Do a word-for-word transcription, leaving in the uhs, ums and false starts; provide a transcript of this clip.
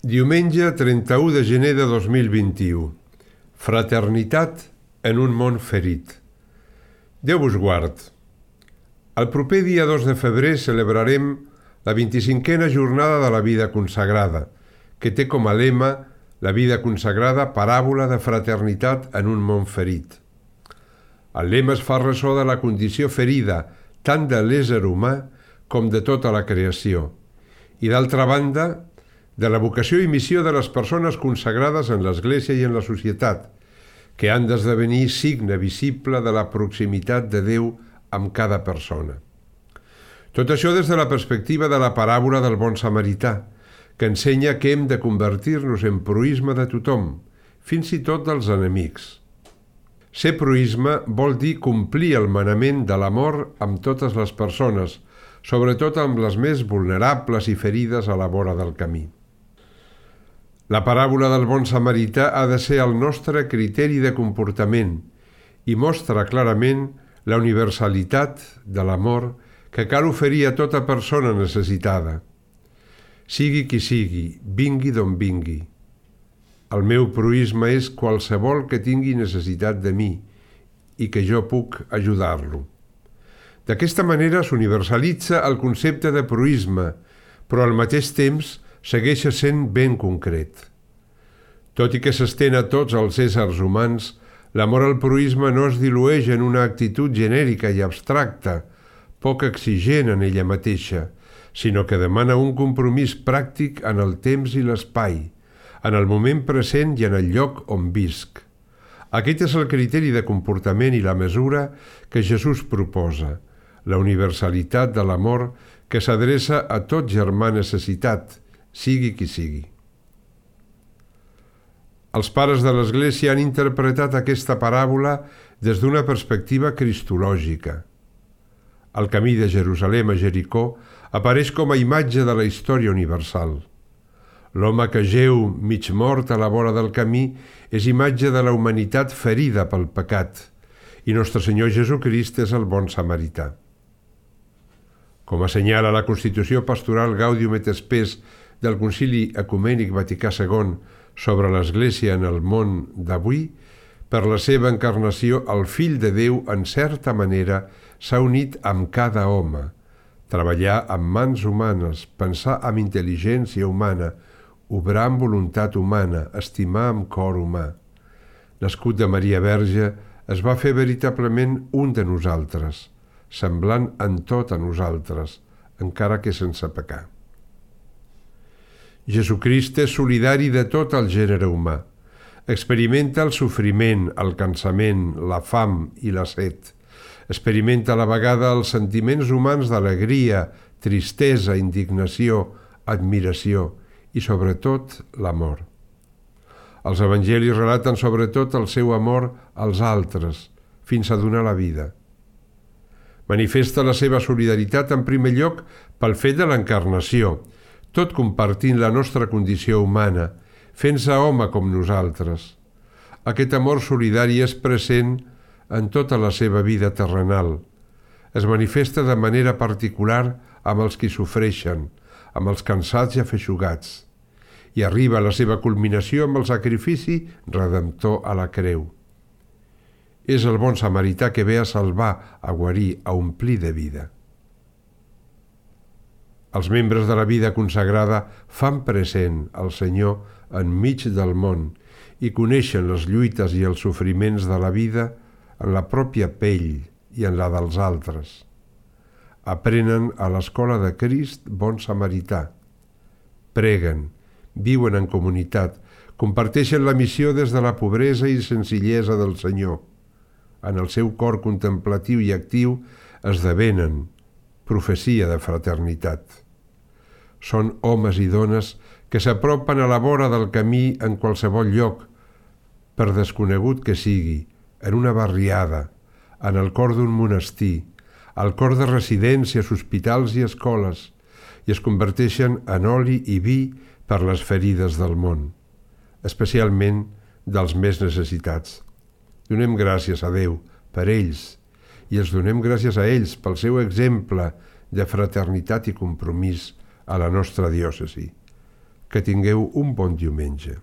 Diumenge trenta-u de gener de dos mil vint-i-u. Fraternitat en un món ferit. Déu vos guard. El proper dia dos de febrer celebrarem la vint-i-cinquena jornada de la vida consagrada, que té com a lema la vida consagrada, paràbola de fraternitat en un món ferit. El lema es fa ressò de la condició ferida tant de l'ésser humà com de tota la creació, i d'altra banda, de la vocació i missió de les persones consagrades en l'Església i en la societat, que han d'esdevenir signe visible de la proximitat de Déu amb cada persona. Tot això des de la perspectiva de la paràbola del bon samarità, que ensenya que hem de convertir-nos en proïsme de tothom, fins i tot dels enemics. Ser proïsme vol dir complir el manament de l'amor amb totes les persones, sobretot amb les més vulnerables i ferides a la vora del camí. La paràbola del bon samarità ha de ser el nostre criteri de comportament i mostra clarament la universalitat de l'amor que cal oferir a tota persona necessitada. Sigui qui sigui, vingui d'on vingui. El meu proïsme és qualsevol que tingui necessitat de mi i que jo puc ajudar-lo. D'aquesta manera s'universalitza el concepte de proïsme, però al mateix temps segueix sent ben concret. Tot i que s'estén a tots els éssers humans, l'amor al proïsme no es dilueix en una actitud genèrica i abstracta, poc exigent en ella mateixa, sinó que demana un compromís pràctic en el temps i l'espai, en el moment present i en el lloc on visc. Aquest és el criteri de comportament i la mesura que Jesús proposa, la universalitat de l'amor que s'adreça a tot germà necessitat, sigui qui sigui. Els pares de l'Església han interpretat aquesta paràbola des d'una perspectiva cristològica. El camí de Jerusalem a Jericó apareix com a imatge de la història universal. L'home que jeu mig mort a la vora del camí és imatge de la humanitat ferida pel pecat, i Nostre Senyor Jesucrist és el bon samarità. Com assenyala la Constitució Pastoral Gaudium et Spes del Concili Ecumènic Vaticà segon sobre l'Església en el món d'avui, per la seva encarnació el Fill de Déu, en certa manera, s'ha unit amb cada home, treballar amb mans humanes, pensar amb intel·ligència humana, obrar amb voluntat humana, estimar amb cor humà. Nascut de Maria Verge, es va fer veritablement un de nosaltres, semblant en tot a nosaltres, encara que sense pecar. Jesucrist és solidari de tot el gènere humà. Experimenta el sofriment, el cansament, la fam i la set. Experimenta a la vegada els sentiments humans d'alegria, tristesa, indignació, admiració i, sobretot, l'amor. Els evangelis relaten sobretot el seu amor als altres, fins a donar la vida. Manifesta la seva solidaritat en primer lloc pel fet de l'encarnació, tot compartint la nostra condició humana, fent-se home com nosaltres. Aquest amor solidari és present en tota la seva vida terrenal. Es manifesta de manera particular amb els qui sofreixen, amb els cansats i afeixugats, i arriba a la seva culminació amb el sacrifici redemptor a la creu. És el bon samarità que ve a salvar, a guarir, a omplir de vida. Els membres de la vida consagrada fan present el Senyor enmig del món i coneixen les lluites i els sofriments de la vida en la pròpia pell i en la dels altres. Aprenen a l'escola de Crist bon samarità. Preguen, viuen en comunitat, comparteixen la missió des de la pobresa i senzillesa del Senyor. En el seu cor contemplatiu i actiu esdevenen profecia de fraternitat. Són homes i dones que s'apropen a la vora del camí en qualsevol lloc, per desconegut que sigui, en una barriada, en el cor d'un monestir, al cor de residències, hospitals i escoles, i es converteixen en oli i vi per les ferides del món, especialment dels més necessitats. Donem gràcies a Déu per ells, i els donem gràcies a ells pel seu exemple de fraternitat i compromís a la nostra diòcesi. Que tingueu un bon diumenge.